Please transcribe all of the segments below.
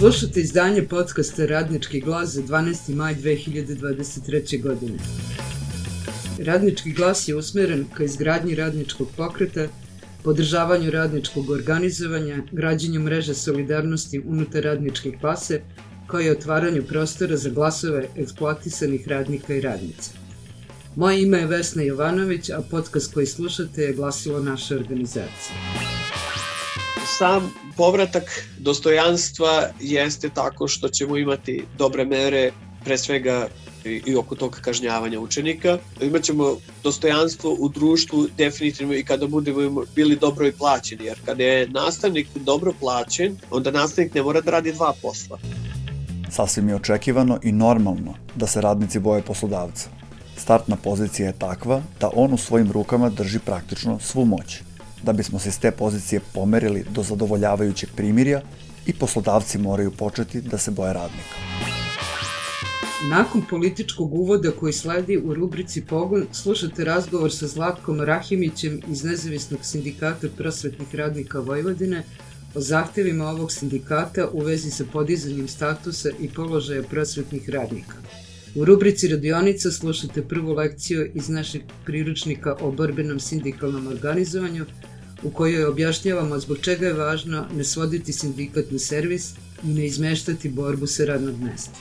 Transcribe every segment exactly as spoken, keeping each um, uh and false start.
Slušate izdanje podcasta Radnički glas za dvanaesti maj dve hiljade dvadeset treće. godine. Radnički glas je usmeren ka izgradnji radničkog pokreta, podržavanju radničkog organizovanja, građenju mreže solidarnosti unutar radničke klase, kao i otvaranju prostora za glasove eksploatisanih radnika i radnica. Moje ime je Vesna Jovanović, a podcast koji slušate je glasilo naše organizacije. Sam povratak dostojanstva jeste tako što ćemo imati dobre mere, pre svega i oko tog kažnjavanja učenika. Imaćemo dostojanstvo u društvu definitivno i kada budemo bili dobro i plaćeni, jer kada je nastavnik dobro plaćen, onda nastavnik ne mora da radi dva posla. Sasvim je očekivano i normalno da se radnici boje poslodavca. Startna pozicija je takva da on u svojim rukama drži praktično svu moć. Da bismo se s te pozicije pomerili do zadovoljavajućeg primirja, i poslodavci moraju početi da se boje radnika. Nakon političkog uvoda koji sledi u rubrici Pogon, slušate razgovor sa Zlatkom Rahimićem iz Nezavisnog sindikata prosvetnih radnika Vojvodine o zahtevima ovog sindikata u vezi sa podizanjem statusa i položaja prosvetnih radnika. U rubrici Radionica slušate prvu lekciju iz našeg priručnika o borbenom sindikalnom organizovanju, u kojoj objašnjavamo zbog čega je važno ne svoditi sindikat na servis i ne izmeštati borbu sa radnog mesta.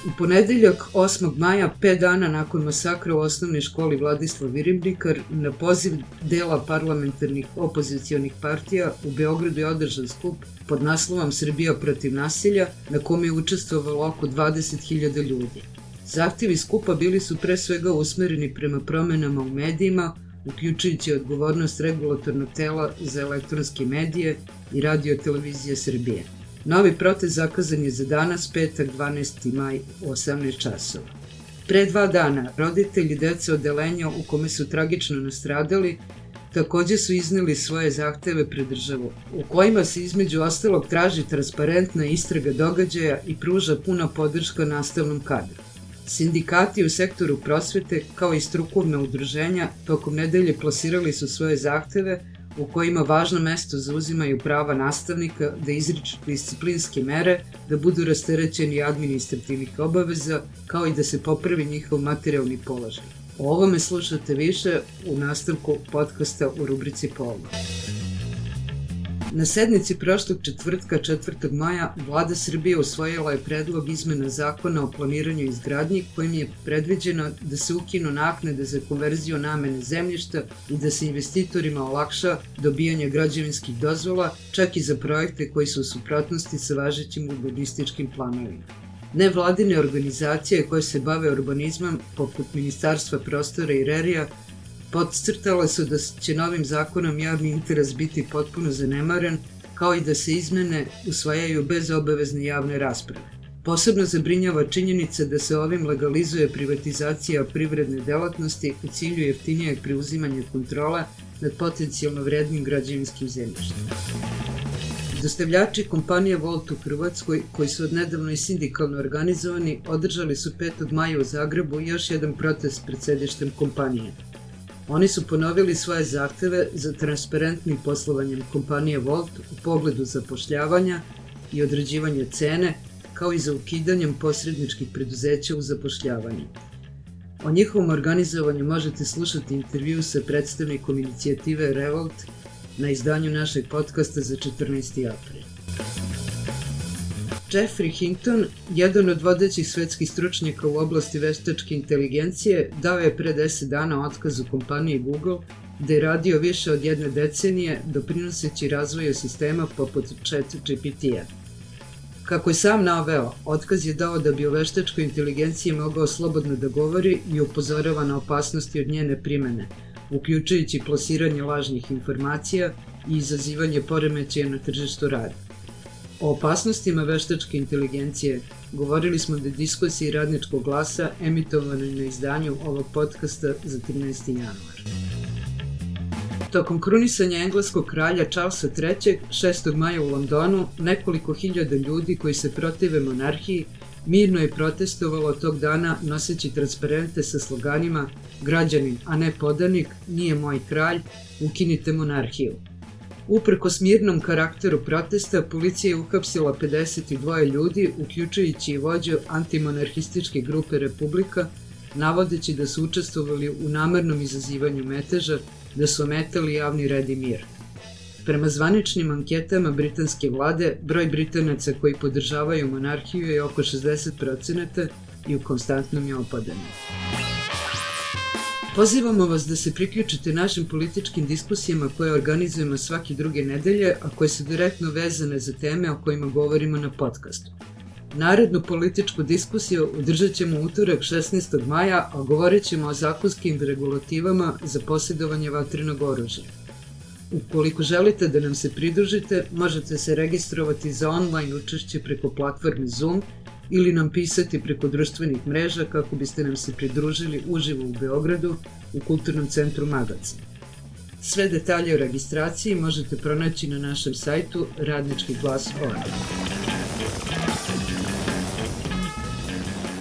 U ponedeljak osmog maja, pet dana nakon masakra u osnovnoj školi Vladislav Ribnikar, na poziv dela parlamentarnih opozicionih partija u Beogradu je održan skup pod naslovom Srbija protiv nasilja, na kome je učestvovalo oko dvadeset hiljada ljudi. Zahtevi skupa bili su pre svega usmereni prema promenama u medijima, uključujući odgovornost regulatornog tela za elektronske medije i Radio televizije Srbije. Novi protest zakazan je za danas, petak dvanaesti maj u osamnaest časova. Pre dva dana, roditelji dece odeljenja u kome su tragično nastradali takođe su izneli svoje zahteve pred državu, u kojima se između ostalog traži transparentna istraga događaja i pruža puna podrška nastavnom kadru. Sindikati u sektoru prosvete, kao i strukovna udruženja, tokom nedelje plasirali su svoje zahteve u kojima važno mesto zauzimaju prava nastavnika da izriču disciplinske mere, da budu rasterećeni administrativnih obaveza, kao i da se popravi njihov materijalni položaj. O ovome slušate više u nastavku podcasta u rubrici Pogon. Na sednici prošlog četvrtka četvrtog maja Vlada Srbije usvojila je predlog izmena zakona o planiranju i izgradnji kojim je predviđeno da se ukinu naknade za konverziju namene zemljišta i da se investitorima olakša dobijanje građevinskih dozvola, čak i za projekte koji su u suprotnosti sa važećim urbanističkim planovima. Nevladine organizacije koje se bave urbanizmom, poput Ministarstva prostora i Rerija, podcrtale su da će novim zakonom javni interes biti potpuno zanemaren, kao i da se izmene usvajaju bez obavezne javne rasprave. Posebno zabrinjava činjenica da se ovim legalizuje privatizacija privredne delatnosti u cilju jeftinijeg preuzimanja kontrola nad potencijalno vrednim građevinskim zemljištem. Dostavljači kompanije Volt u Hrvatskoj, koji su odnedavno i sindikalno organizovani, održali su petog maja u Zagrebu još jedan protest pred sedištem kompanije. Oni su ponovili svoje zahteve za transparentnim poslovanjem kompanije Volt u pogledu zapošljavanja i određivanja cene, kao i za ukidanjem posredničkih preduzeća u zapošljavanju. O njihovom organizovanju možete slušati intervju sa predstavnikom inicijative Revolt na izdanju našeg podcasta za četrnaesti april. Jeffrey Hinton, jedan od vodećih svetskih stručnjaka u oblasti veštačke inteligencije, dao je pre deset dana otkaz u kompaniji Google, gde je radio više od jedne decenije, doprinoseći razvoju sistema poput ChatGPT-a. Kako je sam naveo, otkaz je dao da bi o veštačkoj inteligenciji mogao slobodno da govori i upozorava na opasnosti od njene primene, uključujući plasiranje lažnih informacija i izazivanje poremećaja na tržištu rada. O opasnostima veštačke inteligencije govorili smo na diskusiji Radničkog glasa emitovanoj na izdanju ovog podcasta za trinaesti januar. Tokom krunisanja engleskog kralja Charlesa trećeg šestog maja u Londonu, nekoliko hiljada ljudi koji se protive monarhiji mirno je protestovalo tog dana noseći transparente sa sloganima "Građanin, a ne podanik, nije moj kralj, ukinite monarhiju". Uprkos mirnom karakteru protesta, policija je uhapsila pedeset dva ljudi, uključujući i vođu antimonarhističke grupe Republika, navodeći da su učestvovali u namernom izazivanju meteža, da su ometali javni red i mir. Prema zvaničnim anketama britanske vlade, broj Britanaca koji podržavaju monarhiju je oko šezdeset procenata i u konstantnom je opadanju. Pozivamo vas da se priključite našim političkim diskusijama koje organizujemo svake druge nedelje, a koje su direktno vezane za teme o kojima govorimo na podcastu. Narednu političku diskusiju održat ćemo utorak šesnaestog maja, a govorit ćemo o zakonskim regulativama za posjedovanje vatrenog oružja. Ukoliko želite da nam se pridružite, možete se registrovati za online učešće preko platforme Zoom ili nam pisati preko društvenih mreža kako biste nam se pridružili uživo u Beogradu u Kulturnom centru Magacin. Sve detalje o registraciji možete pronaći na našem sajtu radnički glas tačka org.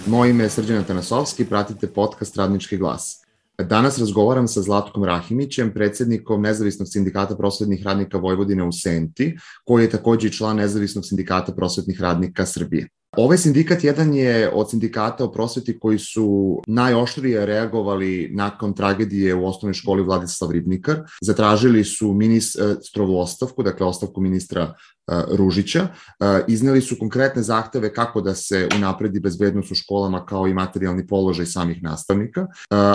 Moje ime je Srđan Atanasovski, pratite podcast Radnički glas. Danas razgovaram sa Zlatkom Rahimićem, predsjednikom Nezavisnog sindikata prosvetnih radnika Vojvodine u Senti, koji je također i član Nezavisnog sindikata prosvetnih radnika Srbije. Ovaj sindikat jedan je od sindikata o prosveti koji su najoštrije reagovali nakon tragedije u osnovnoj školi Vladislav Ribnikar. Zatražili su ministrovu ostavku, dakle ostavku ministra Ružića. Izneli su konkretne zahteve kako da se unapredi bezbednost u školama kao i materijalni položaj samih nastavnika,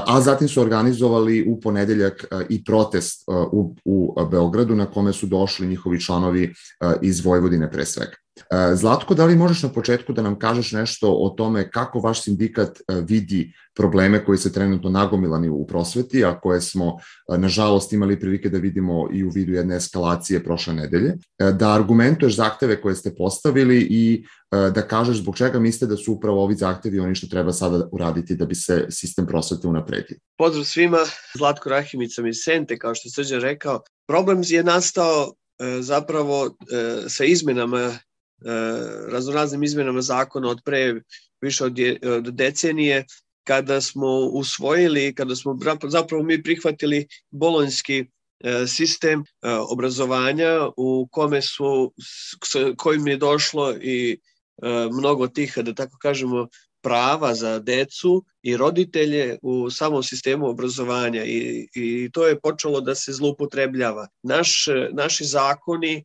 a zatim su organizovali u ponedeljak i protest u, u Beogradu na kome su došli njihovi članovi iz Vojvodine pre svega. Zlatko, da li možeš na početku da nam kažeš nešto o tome kako vaš sindikat vidi probleme koji se trenutno nagomilani u prosveti, a koje smo nažalost imali prilike da vidimo i u vidu jedne eskalacije prošle nedelje, da argumentuješ zahteve koje ste postavili i da kažeš zbog čega mislite da su upravo ovi zahtevi oni što treba sada uraditi da bi se sistem prosvete unapredio. Pozdrav svima, Zlatko Rahimić sam iz Sente, kao što je Srđan rekao. Problem je nastao zapravo sa izmenama raznoraznim izmenama zakona od pre više od, je, od decenije, kada smo usvojili, kada smo zapravo mi prihvatili bolonjski sistem obrazovanja u kome su, kojim je došlo i mnogo tih, da tako kažemo, prava za decu i roditelje u samom sistemu obrazovanja i, i to je počelo da se zloupotrebljava. Naš, naši zakoni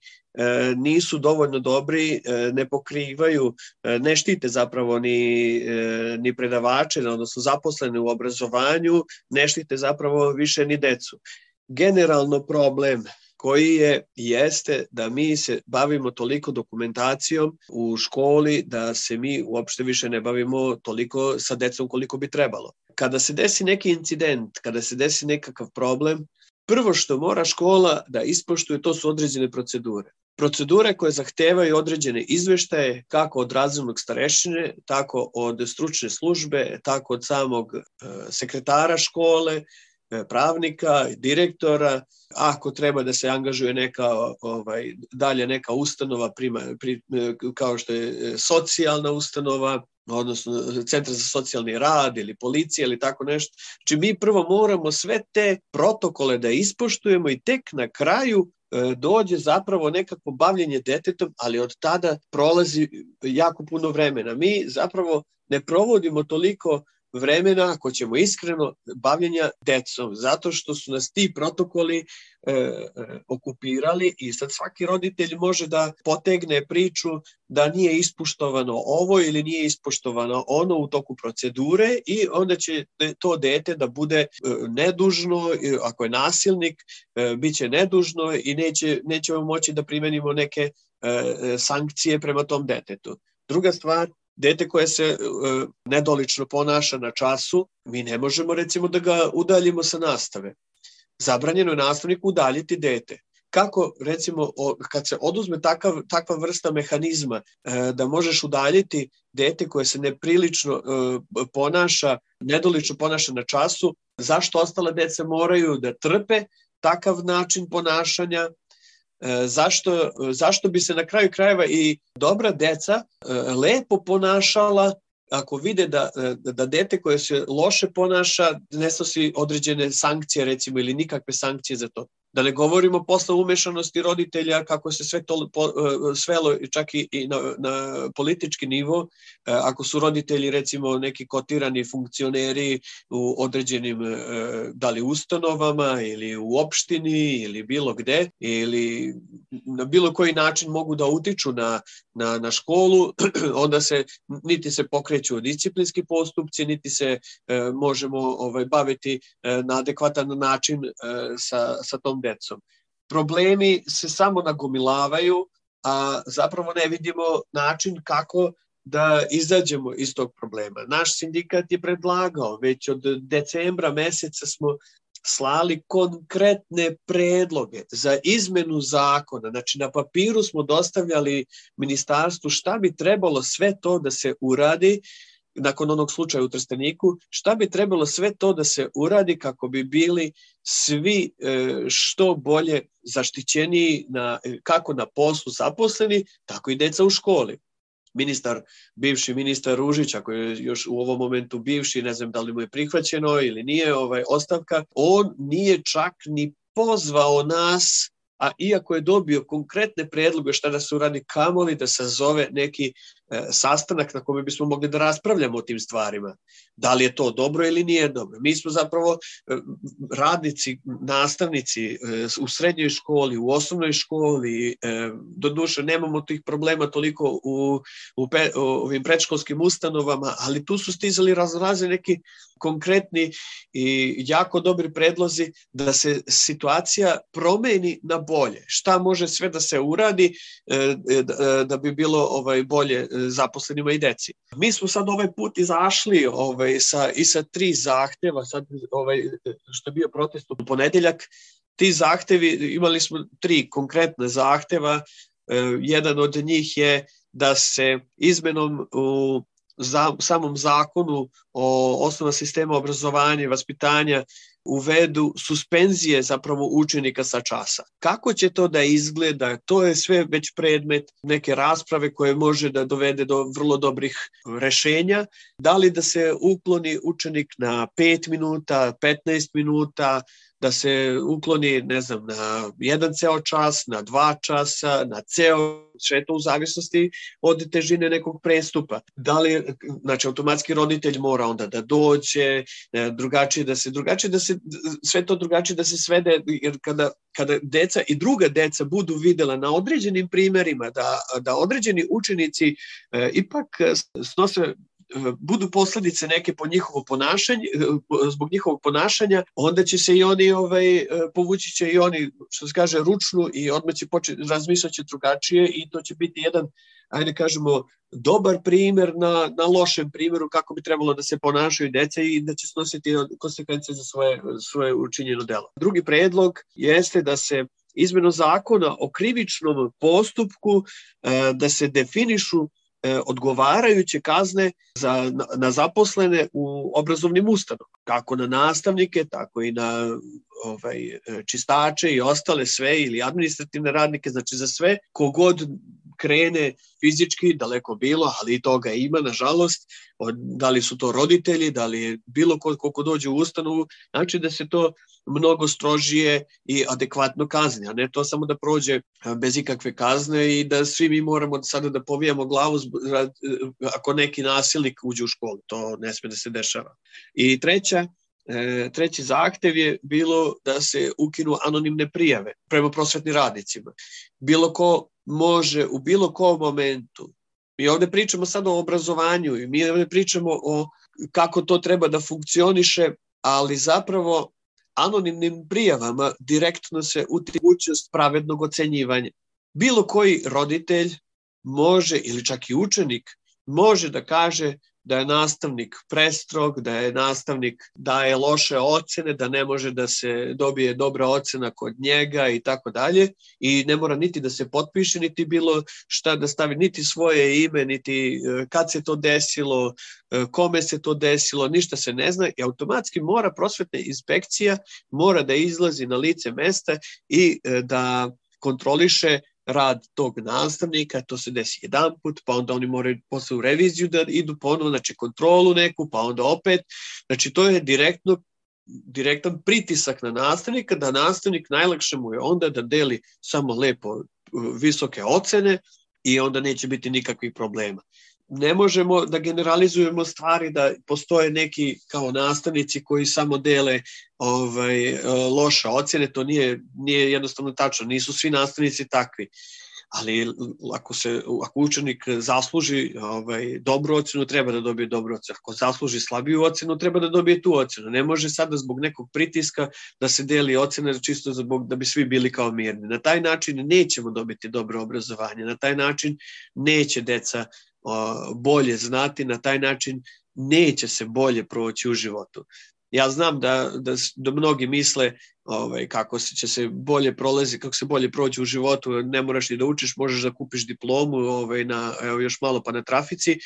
nisu dovoljno dobri, ne pokrivaju, ne štite zapravo ni, ni predavače, odnosno zaposlene u obrazovanju, ne štite zapravo više ni decu. Generalno problem koji je, jeste da mi se bavimo toliko dokumentacijom u školi, da se mi uopšte više ne bavimo toliko sa decom koliko bi trebalo. Kada se desi neki incident, kada se desi nekakav problem, prvo što mora škola da ispoštuje, to su određene procedure. Procedure koje zahtevaju određene izveštaje, kako od razrednog starešine, tako od stručne službe, tako od samog sekretara škole, pravnika, direktora, ako treba da se angažuje neka ovaj, dalje neka ustanova prima, pri, kao što je socijalna ustanova, odnosno centar za socijalni rad ili policija ili tako nešto. Znači mi prvo moramo sve te protokole da ispoštujemo i tek na kraju dođe zapravo nekako bavljenje detetom, ali od tada prolazi jako puno vremena. Mi zapravo ne provodimo toliko vremena, ako ćemo iskreno, bavljenja decom, zato što su nas ti protokoli e, e, okupirali i sad svaki roditelj može da potegne priču da nije ispoštovano ovo ili nije ispoštovano ono u toku procedure i onda će to dete da bude e, nedužno, ako je nasilnik, e, bit će nedužno i neće, nećemo moći da primenimo neke e, sankcije prema tom detetu. Druga stvar, dete koje se e, nedolično ponaša na času, mi ne možemo recimo da ga udaljimo sa nastave. Zabranjeno je nastavniku udaljiti dete. Kako recimo o, kad se oduzme takav, takva vrsta mehanizma e, da možeš udaljiti dete koje se neprilično e, ponaša, nedolično ponaša na času, zašto ostale dece moraju da trpe takav način ponašanja? Zašto, zašto bi se na kraju krajeva i dobra deca lepo ponašala ako vide da, da dete koje se loše ponaša ne snosi određene sankcije recimo ili nikakve sankcije za to. Da ne govorimo posle umešanosti roditelja, kako se sve to svelo čak i na, na politički nivo, ako su roditelji recimo neki kotirani funkcioneri u određenim da li ustanovama ili u opštini ili bilo gde, ili na bilo koji način mogu da utiču na, na, na školu, onda se niti se pokreću disciplinski postupci, niti se e, možemo ovaj, baviti e, na adekvatan način e, sa, sa tom decom. Problemi se samo nagomilavaju, a zapravo ne vidimo način kako da izađemo iz tog problema. Naš sindikat je predlagao, već od decembra meseca smo slali konkretne predloge za izmenu zakona. Znači na papiru smo dostavljali ministarstvu šta bi trebalo sve to da se uradi nakon onog slučaja u Trsteniku, šta bi trebalo sve to da se uradi kako bi bili svi što bolje zaštićeniji na, kako na poslu zaposleni, tako i deca u školi. Ministar, bivši ministar Ružić, ako je još u ovom momentu bivši, ne znam da li mu je prihvaćeno ili nije ovaj, ostavka, on nije čak ni pozvao nas, a iako je dobio konkretne predloge šta da se uradi, kamoli da sazove neki e, sastanak na kome bismo mogli da raspravljamo o tim stvarima. Da li je to dobro ili nije dobro. Mi smo zapravo e, radnici, nastavnici e, u srednjoj školi, u osnovnoj školi, e, do duše nemamo tih problema toliko u, u, pe, u ovim predškolskim ustanovama, ali tu su stizali razraze neki konkretni i jako dobri predlozi da se situacija promeni na bolje. Šta može sve da se uradi e, da, da bi bilo ovaj, bolje zaposlenima i deci. Mi smo sad ovaj put izašli ovaj, sa, i sa tri zahteva, sad, ovaj, što je bio protest u ponedeljak, ti zahtevi, imali smo tri konkretne zahteva. E, jedan od njih je da se izmenom u za, samom zakonu o osnovama sistema obrazovanja i vaspitanja uvedu suspenzije zapravo učenika sa časa. Kako će to da izgleda? To je sve već predmet neke rasprave koje može da dovede do vrlo dobrih rešenja. Da li da se ukloni učenik na pet minuta, petnaest minuta, da se ukloni, ne znam, na jedan ceo čas, na dva časa, na ceo, sve to u zavisnosti od težine nekog prestupa. Da li, znači, automatski roditelj mora onda da dođe, drugačije da se, drugačije da se, sve to drugačije da se svede, jer kada, kada deca i druga deca budu videla na određenim primerima da, da određeni učenici e, ipak snose budu posledice neke po njihovo ponašanje, zbog njihovog ponašanja, onda će se i oni ovaj, povući će i oni, što se kaže, ručnu i odmah će početi, razmišljati drugačije i to će biti jedan, ajde kažemo, dobar primer na, na lošem primjeru kako bi trebalo da se ponašaju dece i da će snositi konsekvence za svoje, svoje učinjeno delo. Drugi predlog jeste da se izmenom zakona o krivičnom postupku da se definišu odgovarajuće kazne za, na, na zaposlene u obrazovnim ustanovama, kako na nastavnike, tako i na ovaj, čistače i ostale sve ili administrativne radnike, znači za sve kogod krene fizički, daleko bilo, ali i toga ima, nažalost, od, da li su to roditelji, da li je bilo ko, ko dođe u ustanovu, znači da se to mnogo strožije i adekvatno kazni, a ne to samo da prođe bez ikakve kazne i da svi mi moramo sada da povijamo glavu ako neki nasilnik uđe u školu. To ne sme da se dešava. I treća, treći zahtev je bilo da se ukinu anonimne prijave prema prosvetnim radnicima. Bilo ko može u bilo kom momentu, mi ovde pričamo sad o obrazovanju i mi ovde pričamo o kako to treba da funkcioniše, ali zapravo anonimnim prijavama direktno se utiče mogućnost pravednog ocenjivanja. Bilo koji roditelj može, ili čak i učenik, može da kaže da je nastavnik prestrog, da je nastavnik daje loše ocene, da ne može da se dobije dobra ocena kod njega i tako dalje. I ne mora niti da se potpiše, niti bilo šta da stavi, niti svoje ime, niti kad se to desilo, kome se to desilo, ništa se ne zna. I automatski mora prosvetna inspekcija mora da izlazi na lice mesta i da kontroliše rad tog nastavnika, to se desi jedan put, pa onda oni moraju posle u reviziju da idu ponovo, znači kontrolu neku, pa onda opet, znači to je direktno direktan pritisak na nastavnika, da nastavnik najlakše mu je onda da deli samo lepo visoke ocene i onda neće biti nikakvih problema. Ne možemo da generalizujemo stvari da postoje neki kao nastavnici koji samo dele ovaj, loše ocjene, to nije, nije jednostavno tačno, nisu svi nastavnici takvi. Ali ako, se, ako učenik zasluži ovaj, dobru ocenu, treba da dobije dobru ocenu. Ako zasluži slabiju ocenu, treba da dobije tu ocenu. Ne može sada zbog nekog pritiska da se deli ocena čisto zbog da bi svi bili kao mirni. Na taj način nećemo dobiti dobro obrazovanje, na taj način neće deca o, bolje znati, na taj način neće se bolje proći u životu. Ja znam da, da, da mnogi misle ovaj, kako se će se bolje prolazi, kako se bolje proći u životu, ne moraš ni da učiš, možeš da kupiš diplomu ovaj, na, evo, još malo pa na trafici,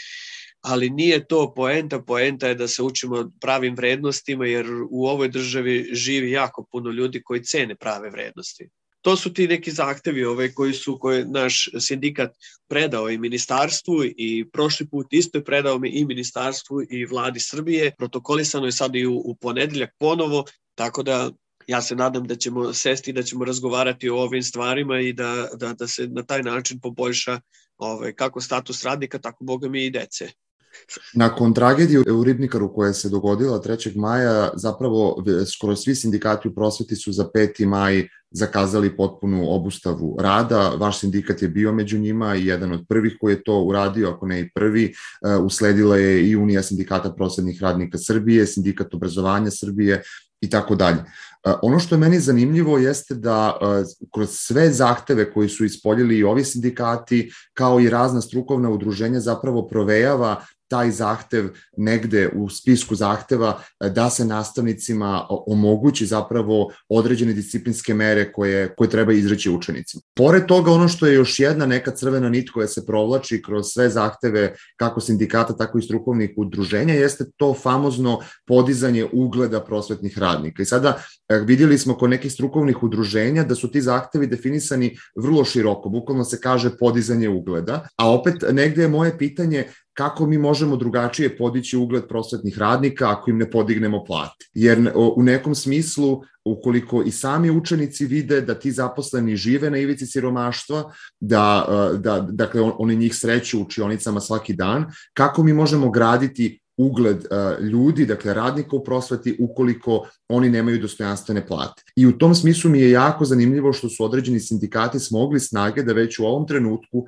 ali nije to poenta, poenta je da se učimo pravim vrednostima, jer u ovoj državi živi jako puno ljudi koji cene prave vrednosti. To su ti neki zahtevi ovaj, koji su koje naš sindikat predao i ministarstvu i prošli put isto je predao i ministarstvu i vladi Srbije. Protokolisano je sad i u, u ponedeljak ponovo, tako da ja se nadam da ćemo sesti i da ćemo razgovarati o ovim stvarima i da, da, da se na taj način poboljša ovaj, kako status radnika, tako boga mi i dece. Nakon tragedije u Ribnikaru koja se dogodila trećeg maja, zapravo skoro svi sindikati u prosveti su za peti maj zakazali potpunu obustavu rada. Vaš sindikat je bio među njima i jedan od prvih koji je to uradio, ako ne i prvi. Usledila je i Unija sindikata prosvetnih radnika Srbije, Sindikat obrazovanja Srbije i tako dalje. Ono što je meni zanimljivo jeste da kroz sve zahteve koji su ispoljili i ovi sindikati, kao i razna strukovna udruženja, zapravo provejava taj zahtev negde u spisku zahteva da se nastavnicima omogući zapravo određene disciplinske mere koje, koje treba izreći učenicima. Pored toga, ono što je još jedna neka crvena nit koja se provlači kroz sve zahteve kako sindikata, tako i strukovnih udruženja, jeste to famozno podizanje ugleda prosvetnih radnika. I sada vidjeli smo kod nekih strukovnih udruženja da su ti zahtevi definisani vrlo široko, bukvalno se kaže podizanje ugleda, a opet negde je moje pitanje kako mi možemo drugačije podići ugled prosvetnih radnika ako im ne podignemo plate. Jer u nekom smislu, ukoliko i sami učenici vide da ti zaposleni žive na ivici siromaštva, da, da dakle, oni njih sreću u učionicama svaki dan, kako mi možemo graditi ugled uh, ljudi, dakle radnika u prosveti, ukoliko oni nemaju dostojanstvene plate. I u tom smislu mi je jako zanimljivo što su određeni sindikati smogli snage da već u ovom trenutku uh,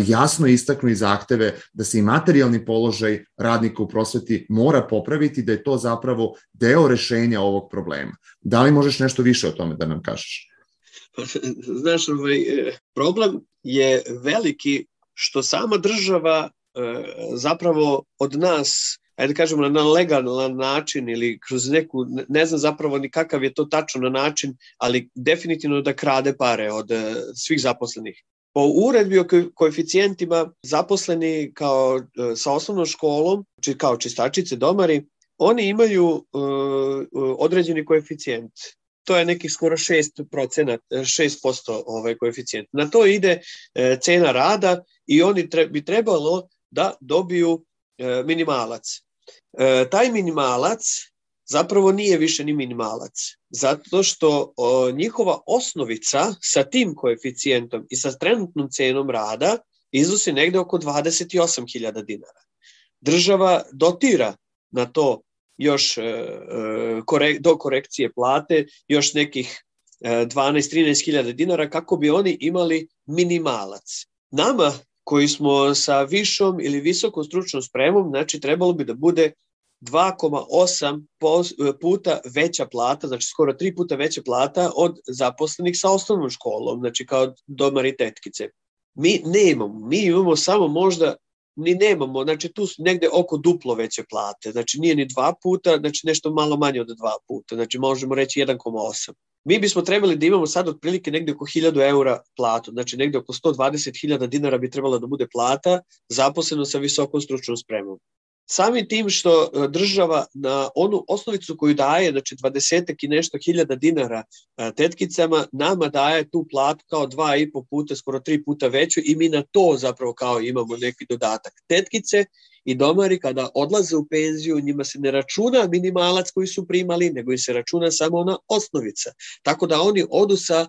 jasno istaknu i zahteve da se i materijalni položaj radnika u prosveti mora popraviti, da je to zapravo deo rešenja ovog problema. Da li možeš nešto više o tome da nam kažeš? Znaš, ovaj, problem je veliki što sama država zapravo od nas, ajde kažemo na legalan način ili kroz neku, ne znam zapravo ni kakav je to tačno na način, ali definitivno da krade pare od svih zaposlenih. Po uredbi o koeficijentima zaposleni kao sa osnovnom školom, kao čistačice, domari, oni imaju uh, određeni koeficijent. To je nekih skoro šest posto ovaj koeficijent. Na to ide uh, cena rada i oni tre, bi trebalo da dobiju e, minimalac. E, taj minimalac zapravo nije više ni minimalac, zato što o, njihova osnovica sa tim koeficijentom i sa trenutnom cenom rada iznosi negde oko dvadeset osam hiljada dinara. Država dotira na to još e, korek, do korekcije plate još nekih e, dvanaest do trinaest hiljada dinara kako bi oni imali minimalac. Nama koji smo sa višom ili visokom stručnom spremom, znači trebalo bi da bude dva zarez osam puta veća plata, znači skoro tri puta veća plata od zaposlenih sa osnovnom školom, znači kao domari tetkice. Mi nemamo, mi imamo samo možda, ni nemamo, znači tu negde oko duplo veće plate, znači nije ni dva puta, znači nešto malo manje od dva puta, znači možemo reći jedan zarez osam. Mi bismo trebali da imamo sad otprilike negde oko hiljadu eura platu, znači negde oko sto dvadeset hiljada dinara bi trebala da bude plata zaposleno sa visokom stručnom spremom. Samim tim što država na onu osnovicu koju daje, znači dvadesetak i nešto hiljada dinara tetkicama, nama daje tu platu kao dva i po puta, skoro tri puta veću i mi na to zapravo kao imamo neki dodatak. Tetkice i domari kada odlaze u penziju, njima se ne računa minimalac koji su primali, nego im se računa samo ona osnovica. Tako da oni odu sa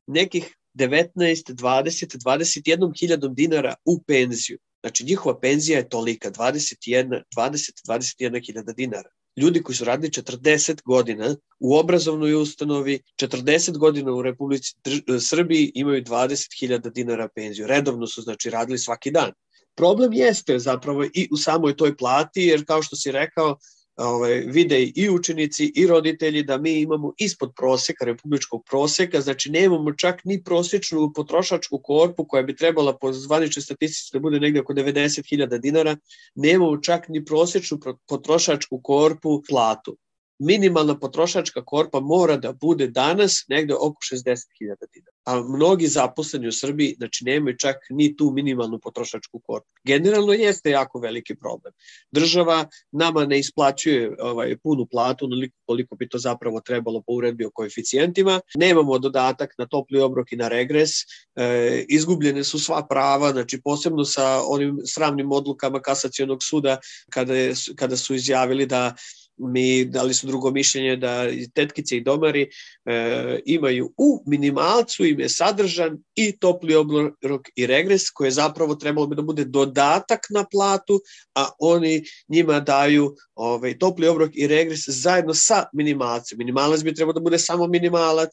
nekih devetnaest, dvadeset, dvadeset jedna hiljadom dinara u penziju. Znači njihova penzija je tolika, dvadeset jedna, dvadeset, dvadeset jedna hiljada dinara. Ljudi koji su radili četrdeset godina u obrazovnoj ustanovi, četrdeset godina u Republici Srbiji imaju dvadeset hiljada dinara penziju. Redovno su znači radili svaki dan. Problem jeste zapravo i u samoj toj plati, jer kao što si rekao, ovaj, vide i učenici i roditelji da mi imamo ispod proseka, republičkog proseka, znači nemamo čak ni prosječnu potrošačku korpu koja bi trebala po zvaničnoj statistici da bude negde oko devedeset hiljada dinara, nemamo čak ni prosječnu potrošačku korpu platu. Minimalna potrošačka korpa mora da bude danas negde oko šezdeset hiljada dinara. A mnogi zaposleni u Srbiji znači nemaju čak ni tu minimalnu potrošačku korpu. Generalno jeste jako veliki problem. Država nama ne isplaćuje ovaj, punu platu, onoliko koliko bi to zapravo trebalo po uredbi o koeficijentima. Nemamo dodatak na topli obrok i na regres. E, izgubljene su sva prava, znači posebno sa onim sramnim odlukama Kasacionog suda kada, je, kada su izjavili da mi dali su drugo mišljenje da tetkice i domari e, imaju u minimalcu im je sadržan i topli obrok i regres koji je zapravo trebalo bi da bude dodatak na platu, a oni njima daju ovaj, topli obrok i regres zajedno sa minimalcem. Minimalac bi trebalo da bude samo minimalac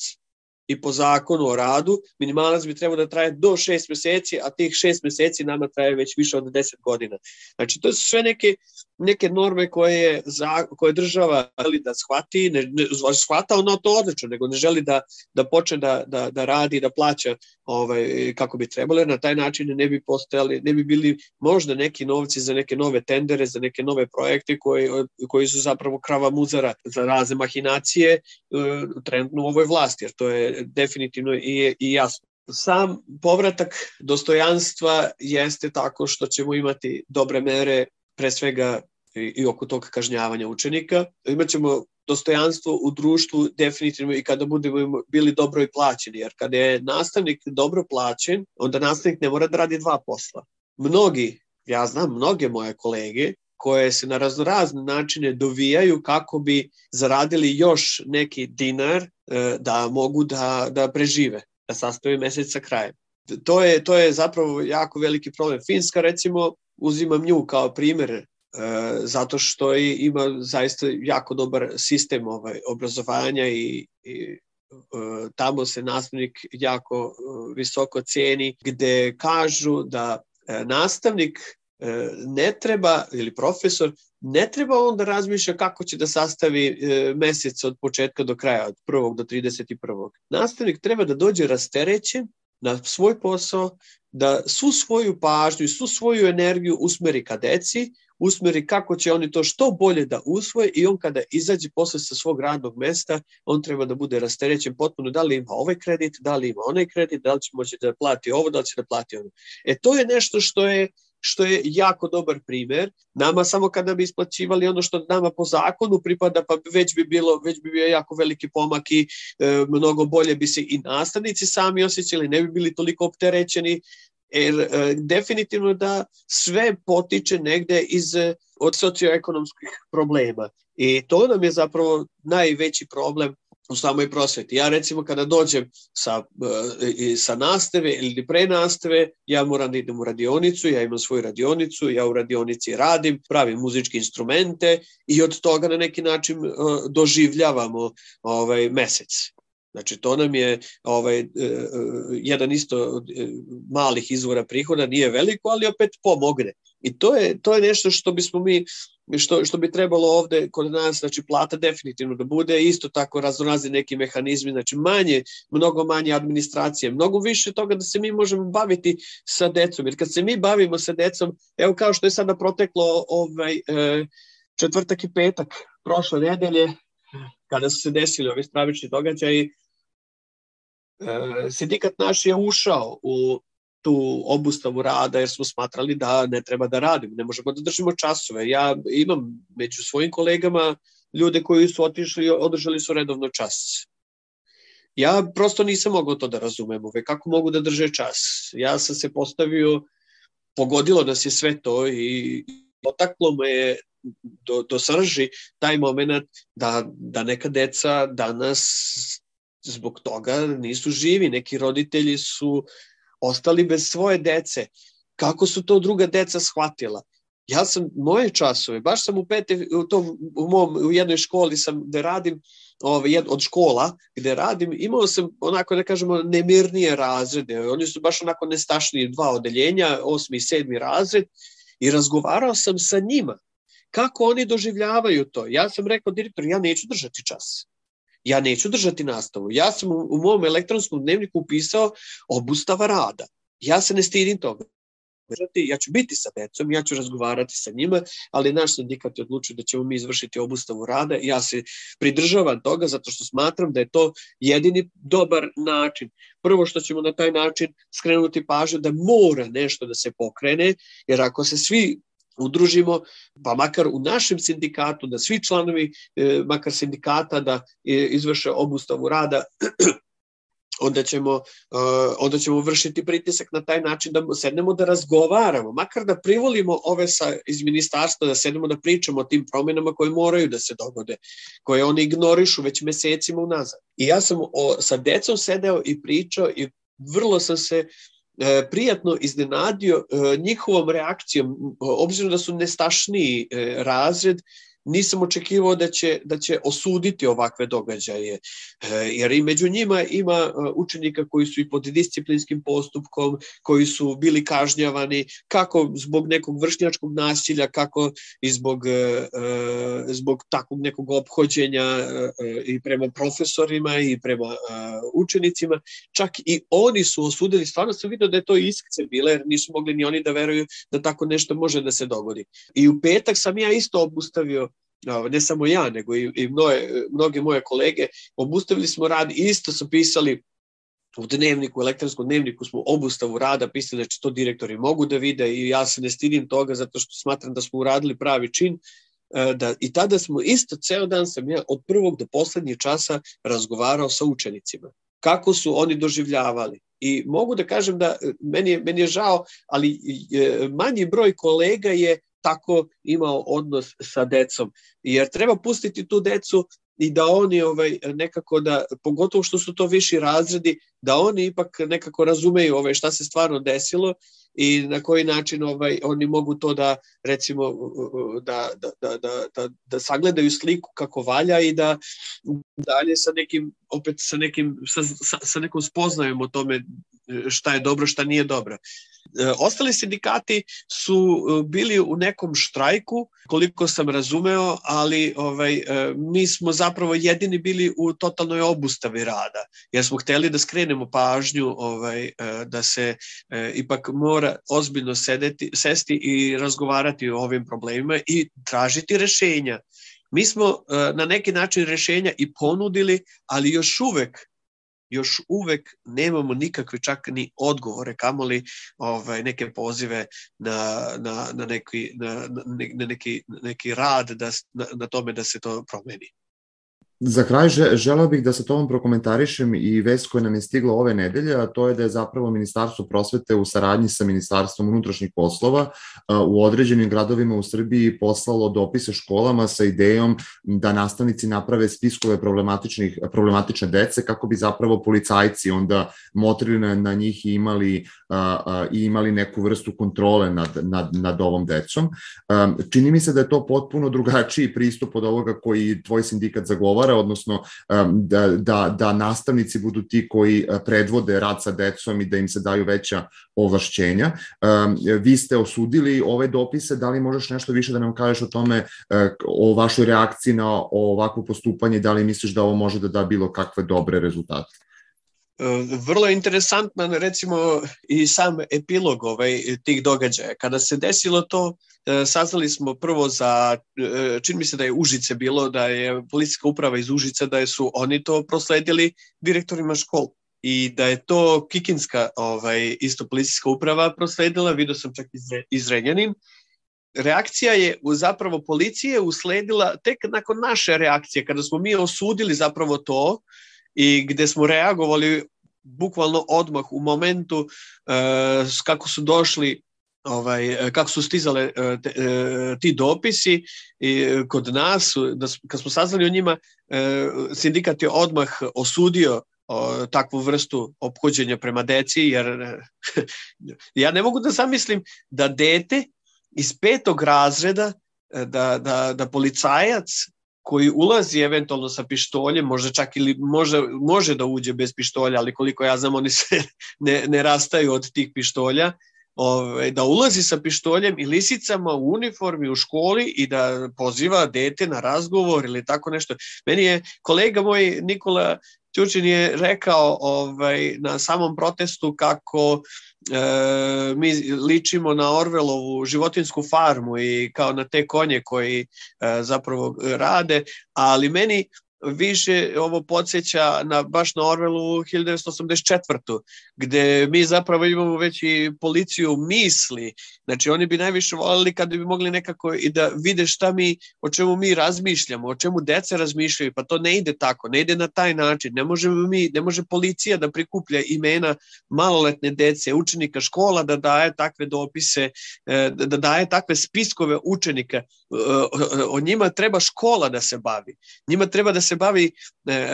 i po zakonu o radu, minimalac bi trebalo da traje do šest meseci, a tih šest meseci nama traje već više od deset godina. Znači, to su sve neke, neke norme koje, za, koje država želi da shvati, ne, ne shvata ono to odlično, nego ne želi da, da počne da, da, da radi, da plaća ovaj, kako bi trebalo, jer na taj način ne bi postojali, ne bi bili možda neki novci za neke nove tendere, za neke nove projekte koji, koji su zapravo krava muzara za razne mahinacije uh, trenutno u ovoj vlasti, jer to je definitivno i, i jasno. Sam povratak dostojanstva jeste tako što ćemo imati dobre mere, pre svega i, i oko tog kažnjavanja učenika. Imaćemo dostojanstvo u društvu definitivno i kada budemo bili dobro i plaćeni, jer kada je nastavnik dobro plaćen, onda nastavnik ne mora da radi dva posla. Mnogi, ja znam mnoge moje kolege, koje se na raznorazne načine dovijaju kako bi zaradili još neki dinar da mogu da, da prežive, da sastave mesec sa krajem. To je, to je zapravo jako veliki problem. Finska, recimo, uzimam nju kao primer zato što ima zaista jako dobar sistem ovaj, obrazovanja i, i tamo se nastavnik jako visoko ceni, gde kažu da nastavnik ne treba, ili profesor, ne treba on da razmišlja kako će da sastavi e, mesec od početka do kraja, od prvog do trideset prvog. Nastavnik treba da dođe rasterećen na svoj posao, da svu svoju pažnju i svu svoju energiju usmeri ka deci, usmeri kako će oni to što bolje da usvoje i on kada izađe posle sa svog radnog mesta, on treba da bude rasterećen potpuno, da li ima ovaj kredit, da li ima onaj kredit, da li će moći da plati ovo, da li će da plati ono. E to je nešto što je što je jako dobar primer. Nama samo kada bi isplaćivali ono što nama po zakonu pripada, pa već bi bilo, već bi bio jako veliki pomak i e, mnogo bolje bi se i nastavnici sami osjećali, ne bi bili toliko opterećeni, jer e, definitivno da sve potiče negde iz, od socioekonomskih problema. I to nam je zapravo najveći problem u samoj prosveti. Ja recimo kada dođem sa, sa nastave ili pre nastave, ja moram da idem u radionicu, ja imam svoju radionicu, ja u radionici radim, pravim muzičke instrumente i od toga na neki način doživljavamo ovaj, mesec. Znači to nam je ovaj, jedan isto od malih izvora prihoda, nije veliko, ali opet pomogne. I to je, to je nešto što bismo mi Što, što bi trebalo ovde kod nas, znači plata definitivno da bude, isto tako raznorazni neki mehanizmi, znači manje, mnogo manje administracije, mnogo više toga da se mi možemo baviti sa decom, jer kad se mi bavimo sa decom, evo kao što je sada proteklo ovaj, četvrtak i petak prošle nedelje, kada su se desili ovi stravični događaji, sindikat naš je ušao u tu obustavu rada jer smo smatrali da ne treba da radimo, ne možemo da držimo časove. Ja imam među svojim kolegama ljude koji su otišli i održali su redovno čas. Ja prosto nisam mogao to da razumem, ove, kako mogu da drže čas. Ja sam se postavio, pogodilo nas je sve to i, Potaklo me je do, do srži taj moment da, da neka deca danas zbog toga nisu živi. Neki roditelji su ostali bez svoje dece. Kako su to druga deca shvatila? Ja sam moje časove, baš sam u pete, u, tom, u, mom, u jednoj školi sam gde radim, ovaj, jed, od škola gde radim, imao sam onako da kažemo nemirnije razrede. Oni su baš onako nestašniji, dva odeljenja, osmi i sedmi razred, i razgovarao sam sa njima. Kako oni doživljavaju to? Ja sam rekao direktor, ja neću držati čas. Ja neću držati nastavu. Ja sam u, u mom elektronskom dnevniku upisao obustava rada. Ja se ne stidim toga. Ja ću biti sa decom, ja ću razgovarati sa njima, ali naš sindikat je odlučio da ćemo mi izvršiti obustavu rada. Ja se pridržavam toga zato što smatram da je to jedini dobar način. Prvo što ćemo na taj način skrenuti pažnju da mora nešto da se pokrene, jer ako se svi udružimo, pa makar u našem sindikatu, da svi članovi, makar sindikata, da izvrše obustavu rada, onda ćemo, onda ćemo vršiti pritisak na taj način da sednemo da razgovaramo, makar da privolimo ove sa, iz ministarstva, da sednemo da pričamo o tim promjenama koje moraju da se dogode, koje oni ignorišu već mesecima unazad. I ja sam o, sa decom sedeo i pričao i vrlo sam se E, prijatno iznenadio e, njihovom reakcijom, obzirom da su nestašniji e, razred, nisam očekivao da će, da će osuditi ovakve događaje, e, jer i među njima ima učenika koji su i pod disciplinskim postupkom, koji su bili kažnjavani, kako zbog nekog vršnjačkog nasilja, kako i zbog, e, zbog takvog nekog ophođenja e, i prema profesorima i prema e, učenicima. Čak i oni su osudili, stvarno sam vidio da je to iskce bile, jer nisu mogli ni oni da veruju da tako nešto može da se dogodi. I u petak sam ja isto obustavio, ne samo ja, nego i, i mnoge, mnoge moje kolege, obustavili smo rad, isto su pisali u dnevniku, u elektronskom dnevniku smo obustavu rada, pisali da će to direktori mogu da vide, i ja se ne stidim toga zato što smatram da smo uradili pravi čin. Da, i tada smo isto, ceo dan sam ja od prvog do poslednjeg časa razgovarao sa učenicima. Kako su oni doživljavali. I mogu da kažem da meni je, meni je žao, ali manji broj kolega je tako imao odnos sa decom. Jer treba pustiti tu decu i da oni ovaj, nekako da, pogotovo što su to viši razredi, da oni ipak nekako razumeju ovaj, šta se stvarno desilo i na koji način ovaj, oni mogu to da, recimo, da, da, da, da, da, da sagledaju sliku kako valja i da dalje sa nekim, opet sa nekim, sa, sa, sa nekom spoznajom o tome šta je dobro, šta nije dobro. Ostali sindikati su bili u nekom štrajku, koliko sam razumeo, ali ovaj, mi smo zapravo jedini bili u totalnoj obustavi rada, jer smo hteli da skrenemo pažnju ovaj, da se eh, ipak mora ozbiljno sedeti, sesti i razgovarati o ovim problemima i tražiti rešenja. Mi smo eh, na neki način rešenja i ponudili, ali još uvek još uvek nemamo nikakve čak ni odgovore, kamoli ovaj, neke pozive na, na, na, neki, na, na neki, neki rad da, na, na tome da se to promeni. Za kraj želeo bih da sa tobom prokomentarišem i vest koja nam je stigla ove nedelje, a to je da je zapravo Ministarstvo prosvete u saradnji sa Ministarstvom unutrašnjih poslova u određenim gradovima u Srbiji poslalo dopise školama sa idejom da nastavnici naprave spiskove problematičnih, problematične dece kako bi zapravo policajci onda motrili na, na njih i imali, a, i imali neku vrstu kontrole nad, nad, nad ovom decom. A, čini mi se da je to potpuno drugačiji pristup od ovoga koji tvoj sindikat zagovara, odnosno da, da, da nastavnici budu ti koji predvode rad sa decom i da im se daju veća ovlašćenja. Vi ste osudili ove dopise, da li možeš nešto više da nam kažeš o tome, o vašoj reakciji na ovakvo postupanje, da li misliš da ovo može da da bilo kakve dobre rezultate? Vrlo je interesantno, recimo, i sam epilog ovaj, tih događaja. Kada se desilo to, saznali smo prvo za, čini mi se da je Užice bilo, da je policijska uprava iz Užice, da su oni to prosledili direktorima škola i da je to Kikinska ovaj, isto policijska uprava prosledila, vidio sam čak iz Renjanin. Reakcija je zapravo policije usledila tek nakon naše reakcije, kada smo mi osudili zapravo to, i gde smo reagovali bukvalno odmah u momentu uh, kako su došli ovaj, kako su stizale te, ti dopisi i kod nas, da, kad smo saznali o njima, sindikat je odmah osudio o, takvu vrstu ophođenja prema deci, jer ja ne mogu da zamislim da dete iz petog razreda, da, da, da policajac koji ulazi eventualno sa pištoljem, možda čak ili može, može da uđe bez pištolja, ali koliko ja znam, oni se ne, ne rastaju od tih pištolja, ove, da ulazi sa pištoljem i lisicama u uniformi u školi i da poziva dete na razgovor ili tako nešto. Meni je kolega moj Nikola Ćurčin je rekao ovaj, na samom protestu kako e, mi ličimo na Orwellovu životinjsku farmu i kao na te konje koji e, zapravo rade, ali meni više ovo podsjeća na, baš na Orwellovu hiljadu devetsto osamdeset četvrtu. gde mi zapravo imamo već i policiju misli. Znači oni bi najviše voljeli kada bi mogli nekako i da vide šta mi, o čemu mi razmišljamo, o čemu deca razmišljaju, pa to ne ide tako, ne ide na taj način. Ne možemo mi, ne može policija da prikuplja imena maloletne dece, učenika škola, da daje takve dopise, da daje takve spiskove učenika. O njima treba škola da se bavi. Njima treba da se bavi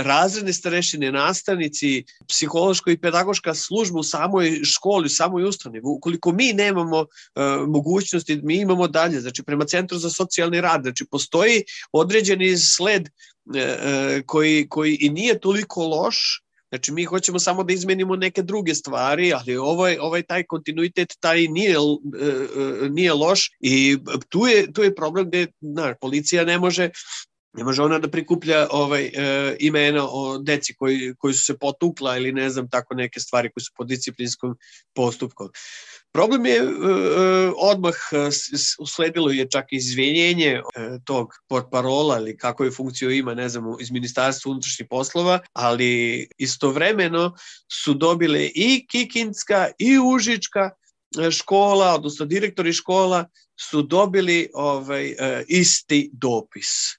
razredne starešine, nastavnici, psihološko i pedagoška služba u samoj školi, u samoj ustanovi. Ukoliko mi nemamo uh, mogućnosti, mi imamo dalje, znači prema Centru za socijalni rad, znači postoji određeni sled uh, koji, koji i nije toliko loš. Znači mi hoćemo samo da izmenimo neke druge stvari, ali ovaj, ovaj taj kontinuitet taj nije, uh, nije loš i tu je, tu je problem gde na, policija ne može Ne može ona da prikuplja ovaj, e, imena o deci koji, koji su se potukla ili ne znam, tako neke stvari koji su pod disciplinskom postupkom. Problem je e, odmah usledilo je čak izvinjenje e, tog portparola ili kako je funkciju ima, ne znam, iz Ministarstva unutrašnjih poslova, ali istovremeno su dobile i Kikindska i Užička škola, odnosno direktori škola su dobili ovaj, e, isti dopis.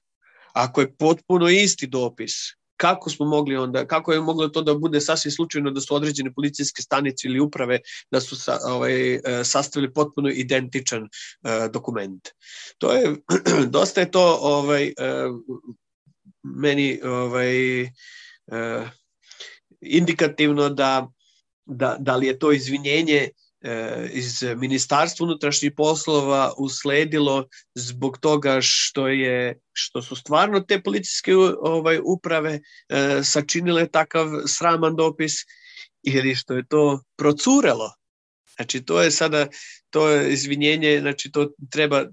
Ako je potpuno isti dopis, kako smo mogli onda, kako je moglo to da bude sasvim slučajno da su određene policijske stanice ili uprave da su sa, ovaj, sastavili potpuno identičan uh, dokument. To je, dosta je to ovaj, uh, meni ovaj, uh, indikativno da, da, da li je to izvinjenje iz Ministarstva unutrašnjih poslova usledilo zbog toga što je što su stvarno te policijske ovaj, uprave e, sačinile takav sraman dopis ili što je to procurelo. Znači to je sada to je izvinjenje, znači to treba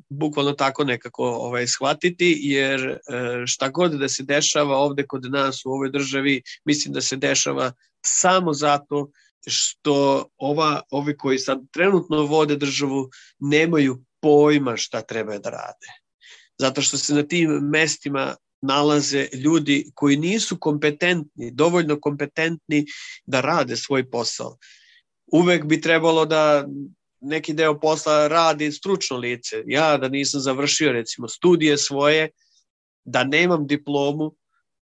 bukvalno tako nekako ovaj, shvatiti, jer e, šta god da se dešava ovde kod nas u ovoj državi, mislim da se dešava samo zato što ova, ovi koji sad trenutno vode državu nemaju pojma šta treba da rade. Zato što se na tim mestima nalaze ljudi koji nisu kompetentni, dovoljno kompetentni da rade svoj posao. Uvek bi trebalo da neki deo posla radi stručno lice. Ja da nisam završio recimo studije svoje, da nemam diplomu,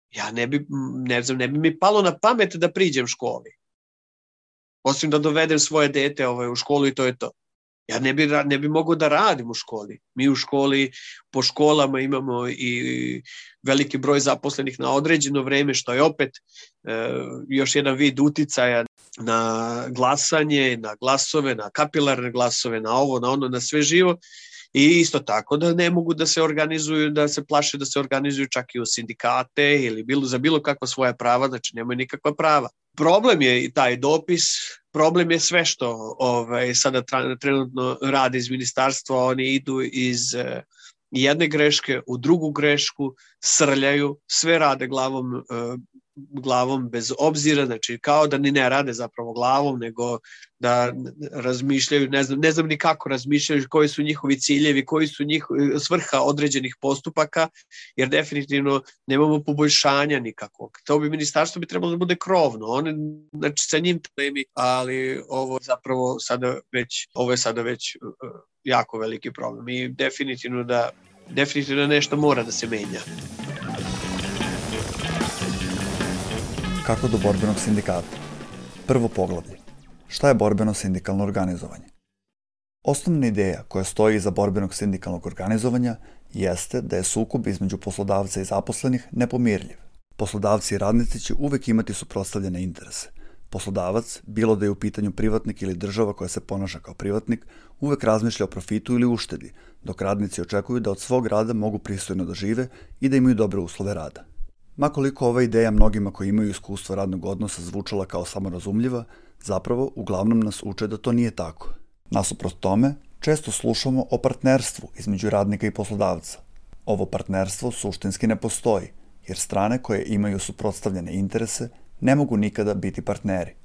ja ne bi, ne znam, ne bi mi palo na pamet da priđem školi. Osim da dovedem svoje dete ovaj, u školu i to je to. Ja ne bi, ne bi mogao da radim u školi. Mi u školi, po školama imamo i veliki broj zaposlenih na određeno vreme, što je opet e, još jedan vid uticaja na glasanje, na glasove, na kapilarne glasove, na ovo, na ono, na sve živo. I isto tako da ne mogu da se organizuju, da se plaše da se organizuju čak i u sindikate ili bilo, za bilo kakva svoja prava, znači nemaju nikakva prava. Problem je i taj dopis, problem je sve što ovaj, sada trenutno rade iz ministarstva, oni idu iz eh, jedne greške u drugu grešku, srljaju, sve rade glavom, eh, glavom bez obzira, znači kao da ni ne rade zapravo glavom, nego da razmišljaju, ne znam, ne znam ni kako razmišljaju, koji su njihovi ciljevi, koji su njihovi svrha određenih postupaka, jer definitivno nemamo poboljšanja nikakvog. To bi ministarstvo bi trebalo da bude krovno, one, znači sa njim problemi, ali ovo zapravo sada već, ovo je sada već uh, jako veliki problem i definitivno da, definitivno nešto mora da se menja. Kako do borbenog sindikata? Prvo poglavlje. Šta je borbeno sindikalno organizovanje? Osnovna ideja koja stoji iza borbenog sindikalnog organizovanja jeste da je sukob između poslodavca i zaposlenih nepomirljiv. Poslodavci i radnici će uvek imati suprotstavljene interese. Poslodavac, bilo da je u pitanju privatnik ili država koja se ponaša kao privatnik, uvek razmišlja o profitu ili uštedi, dok radnici očekuju da od svog rada mogu pristojno da žive i da imaju dobre uslove rada. Makoliko ova ideja mnogima koji imaju iskustvo radnog odnosa zvučala kao samorazumljiva, zapravo uglavnom nas uče da to nije tako. Nasuprot tome, često slušamo o partnerstvu između radnika i poslodavca. Ovo partnerstvo suštinski ne postoji, jer strane koje imaju suprotstavljene interese ne mogu nikada biti partneri.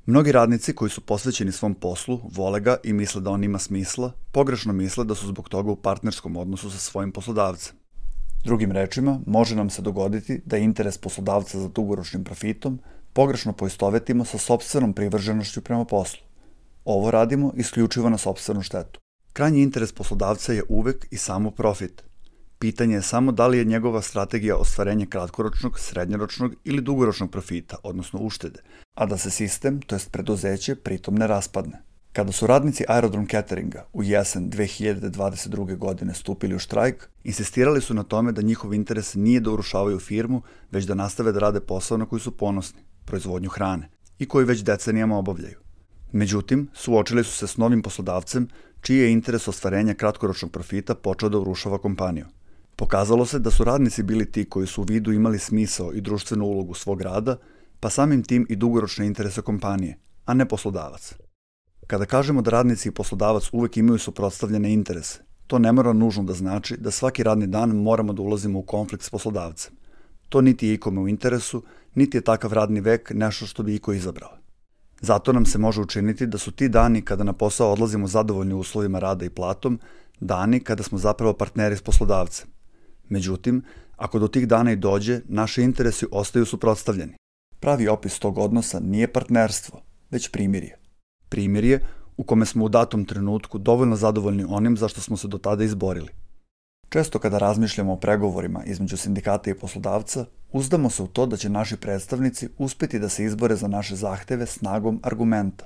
Mnogi radnici koji su posvećeni svom poslu, vole ga i misle da on ima smisla, pogrešno misle da su zbog toga u partnerskom odnosu sa svojim poslodavcem. Drugim rečima, može nam se dogoditi da interes poslodavca za dugoročnim profitom pogrešno poistovetimo sa sopstvenom privrženošću prema poslu. Ovo radimo isključivo na sopstvenu štetu. Krajnji interes poslodavca je uvek i samo profit. Pitanje je samo da li je njegova strategija ostvarenje kratkoročnog, srednjoročnog ili dugoročnog profita, odnosno uštede, a da se sistem, to jest preduzeće, pritom ne raspadne. Kada su radnici Aerodrom Cateringa u jesen dve hiljade dvadeset druge. godine stupili u štrajk, insistirali su na tome da njihov interes nije da urušavaju firmu, već da nastave da rade posao na koji su ponosni, proizvodnju hrane, i koji već decenijama obavljaju. Međutim, suočili su se s novim poslodavcem, čiji je interes ostvarenja kratkoročnog profita počeo da urušava kompaniju. Pokazalo se da su radnici bili ti koji su u vidu imali smisao i društvenu ulogu svog rada, pa samim tim i dugoročne interese kompanije, a ne poslodavac. Kada kažemo da radnici i poslodavac uvek imaju suprotstavljene interese, to ne mora nužno da znači da svaki radni dan moramo da ulazimo u konflikt s poslodavcem. To niti je ikome u interesu, niti je takav radni vek nešto što bi iko izabrao. Zato nam se može učiniti da su ti dani kada na posao odlazimo zadovoljni uslovima rada i platom, dani kada smo zapravo partneri s poslodavcem. Međutim, ako do tih dana i dođe, naši interesi ostaju suprotstavljeni. Pravi opis tog odnosa nije partnerstvo, već primirje. Primirje u kome smo u datom trenutku dovoljno zadovoljni onim za što smo se do tada izborili. Često kada razmišljamo o pregovorima između sindikata i poslodavca, uzdamo se u to da će naši predstavnici uspeti da se izbore za naše zahteve snagom argumenta.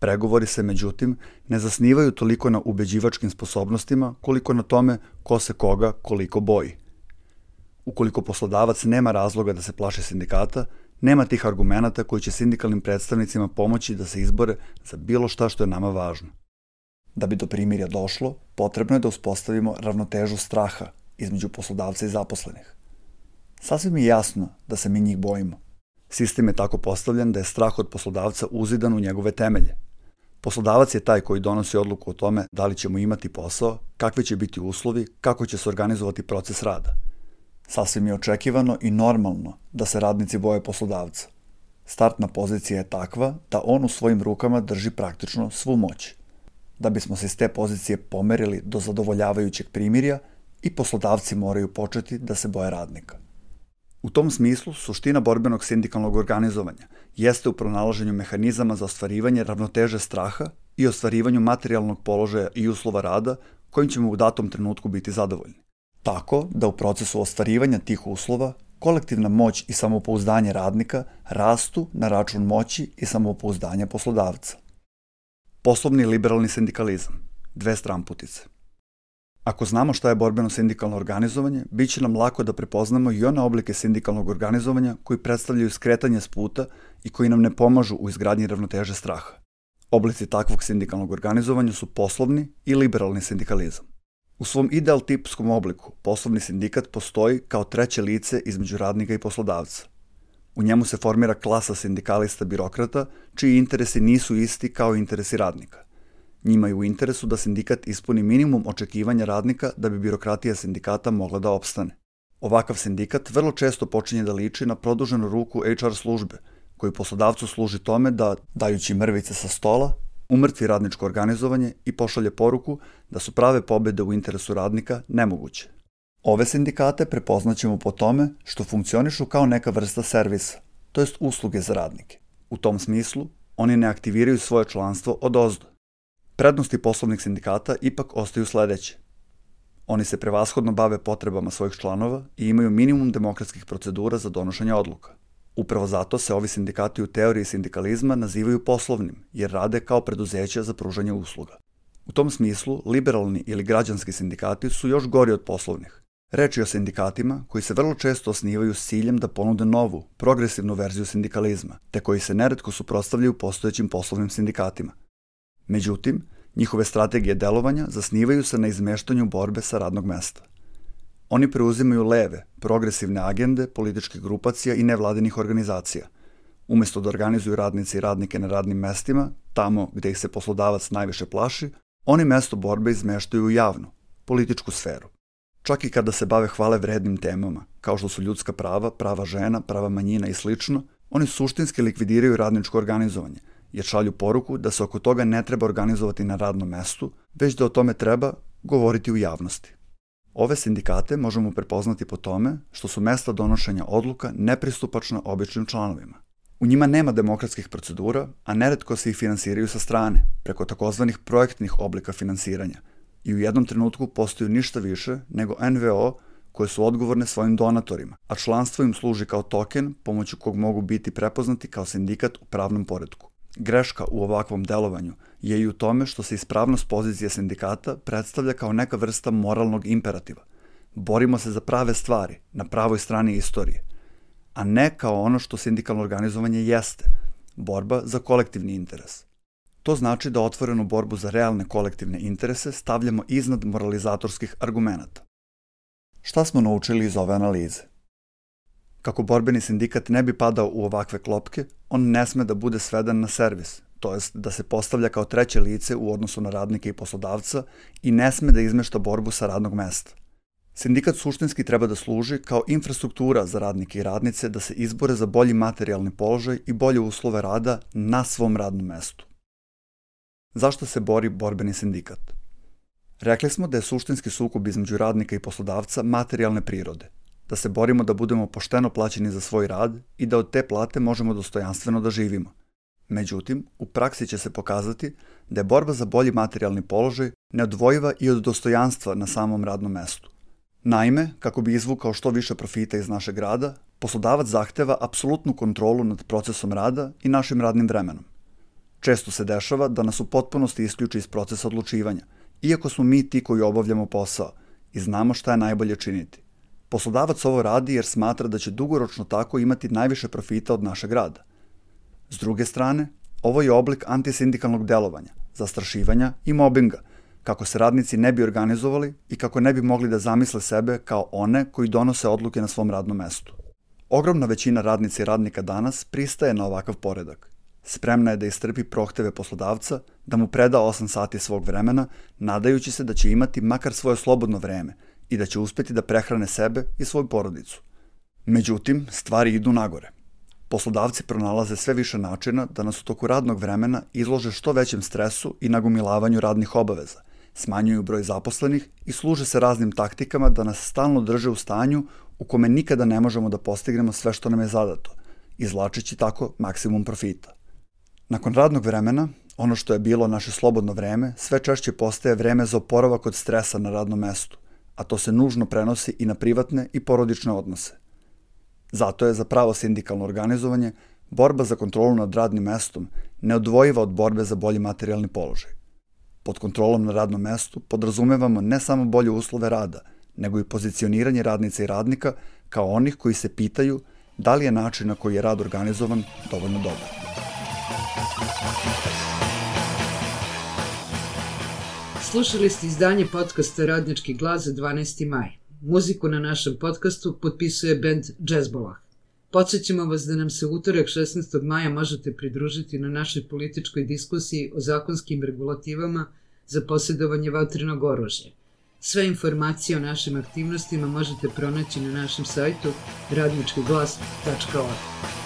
Pregovori se, međutim, ne zasnivaju toliko na ubeđivačkim sposobnostima koliko na tome ko se koga koliko boji. Ukoliko poslodavac nema razloga da se plaši sindikata, nema tih argumenata koji će sindikalnim predstavnicima pomoći da se izbore za bilo šta što je nama važno. Da bi do primirja došlo, potrebno je da uspostavimo ravnotežu straha između poslodavca i zaposlenih. Sasvim je jasno da se mi njih bojimo. Sistem je tako postavljen da je strah od poslodavca uzidan u njegove temelje. Poslodavac je taj koji donosi odluku o tome da li ćemo imati posao, kakvi će biti uslovi, kako će se organizovati proces rada. Sasvim je očekivano i normalno da se radnici boje poslodavca. Startna pozicija je takva da on u svojim rukama drži praktično svu moć. Da bismo se iz te pozicije pomerili do zadovoljavajućeg primirja, i poslodavci moraju početi da se boje radnika. U tom smislu, suština borbenog sindikalnog organizovanja jeste u pronalaženju mehanizama za ostvarivanje ravnoteže straha i ostvarivanju materijalnog položaja i uslova rada kojim ćemo u datom trenutku biti zadovoljni. Tako da u procesu ostvarivanja tih uslova kolektivna moć i samopouzdanje radnika rastu na račun moći i samopouzdanja poslodavca. Poslovni liberalni sindikalizam, dve stranputice. Ako znamo šta je borbeno sindikalno organizovanje, bit će nam lako da prepoznamo i one oblike sindikalnog organizovanja koji predstavljaju skretanje s puta i koji nam ne pomažu u izgradnji ravnoteže straha. Oblici takvog sindikalnog organizovanja su poslovni i liberalni sindikalizam. U svom ideal tipskom obliku, poslovni sindikat postoji kao treće lice između radnika i poslodavca. U njemu se formira klasa sindikalista birokrata, čiji interesi nisu isti kao interesi radnika. Njima je u interesu da sindikat ispuni minimum očekivanja radnika da bi birokratija sindikata mogla da opstane. Ovakav sindikat vrlo često počinje da liči na produženu ruku H R službe, koji poslodavcu služi tome da, dajući mrvice sa stola, umrtvi radničko organizovanje i pošalje poruku da su prave pobede u interesu radnika nemoguće. Ove sindikate prepoznaćemo po tome što funkcionišu kao neka vrsta servisa, to jest usluge za radnike. U tom smislu, oni ne aktiviraju svoje članstvo odozdo. Prednosti poslovnih sindikata ipak ostaju sledeće. Oni se prevashodno bave potrebama svojih članova i imaju minimum demokratskih procedura za donošenje odluka. Upravo zato se ovi sindikati u teoriji sindikalizma nazivaju poslovnim, jer rade kao preduzeća za pružanje usluga. U tom smislu, liberalni ili građanski sindikati su još gori od poslovnih. Reč je o sindikatima koji se vrlo često osnivaju s ciljem da ponude novu, progresivnu verziju sindikalizma, te koji se neretko suprotstavljaju postojećim poslovnim sindikatima. Međutim, njihove strategije delovanja zasnivaju se na izmeštanju borbe sa radnog mesta. Oni preuzimaju leve, progresivne agende političkih grupacija i nevladinih organizacija. Umesto da organizuju radnice i radnike na radnim mestima, tamo gde ih se poslodavac najviše plaši, oni mesto borbe izmeštaju u javnu, političku sferu. Čak i kada se bave hvale vrednim temama, kao što su ljudska prava, prava žena, prava manjina i slično, oni suštinski likvidiraju radničko organizovanje, jer šalju poruku da se oko toga ne treba organizovati na radnom mestu, već da o tome treba govoriti u javnosti. Ove sindikate možemo prepoznati po tome što su mesta donošenja odluka nepristupačna običnim članovima. U njima nema demokratskih procedura, a neretko se ih finansiraju sa strane, preko takozvanih projektnih oblika finansiranja, i u jednom trenutku postaju ništa više nego en ve o koje su odgovorne svojim donatorima, a članstvo im služi kao token pomoću kog mogu biti prepoznati kao sindikat u pravnom poretku. Greška u ovakvom delovanju je i u tome što se ispravnost pozicije sindikata predstavlja kao neka vrsta moralnog imperativa. Borimo se za prave stvari, na pravoj strani istorije, a ne kao ono što sindikalno organizovanje jeste, borba za kolektivni interes. To znači da otvorenu borbu za realne kolektivne interese stavljamo iznad moralizatorskih argumenata. Šta smo naučili iz ove analize? Kako borbeni sindikat ne bi padao u ovakve klopke, on ne sme da bude sveden na servis, to jest da se postavlja kao treće lice u odnosu na radnike i poslodavca i ne sme da izmešta borbu sa radnog mesta. Sindikat suštinski treba da služi kao infrastruktura za radnike i radnice da se izbore za bolji materijalni položaj i bolje uslove rada na svom radnom mestu. Zašto se bori borbeni sindikat? Rekli smo da je suštinski sukob između radnika i poslodavca materijalne prirode, da se borimo da budemo pošteno plaćeni za svoj rad i da od te plate možemo dostojanstveno da živimo. Međutim, u praksi će se pokazati da je borba za bolji materijalni položaj neodvojiva i od dostojanstva na samom radnom mestu. Naime, kako bi izvukao što više profita iz našeg rada, poslodavac zahteva apsolutnu kontrolu nad procesom rada i našim radnim vremenom. Često se dešava da nas u potpunosti isključi iz procesa odlučivanja, iako smo mi ti koji obavljamo posao i znamo šta je najbolje činiti. Poslodavac ovo radi jer smatra da će dugoročno tako imati najviše profita od našeg rada. S druge strane, ovo je oblik antisindikalnog delovanja, zastrašivanja i mobinga, kako se radnici ne bi organizovali i kako ne bi mogli da zamisle sebe kao one koji donose odluke na svom radnom mestu. Ogromna većina radnica i radnika danas pristaje na ovakav poredak. Spremna je da istrpi prohteve poslodavca, da mu preda osam sati svog vremena, nadajući se da će imati makar svoje slobodno vreme i da će uspeti da prehrane sebe i svoju porodicu. Međutim, stvari idu nagore. Poslodavci pronalaze sve više načina da nas u toku radnog vremena izlože što većem stresu i nagomilavanju radnih obaveza, smanjuju broj zaposlenih i služe se raznim taktikama da nas stalno drže u stanju u kome nikada ne možemo da postignemo sve što nam je zadato, izvlačeći tako maksimum profita. Nakon radnog vremena, ono što je bilo naše slobodno vreme, sve češće postaje vreme za oporavak od stresa na radnom mestu, a to se nužno prenosi i na privatne i porodične odnose. Zato je za pravo sindikalno organizovanje borba za kontrolu nad radnim mestom neodvojiva od borbe za bolji materijalni položaj. Pod kontrolom na radnom mestu podrazumevamo ne samo bolje uslove rada, nego i pozicioniranje radnica i radnika kao onih koji se pitaju da li je način na koji je rad organizovan dovoljno dobar. Slušali ste izdanje podcasta Radnički glas za dvanaesti maj. Muziku na našem podcastu potpisuje bend Džezbolah. Podsjećamo vas da nam se utorak šesnaestog maja možete pridružiti na našoj političkoj diskusiji o zakonskim regulativama za posjedovanje vatrenog oružja. Sve informacije o našim aktivnostima možete pronaći na našem sajtu radnički glas tačka org.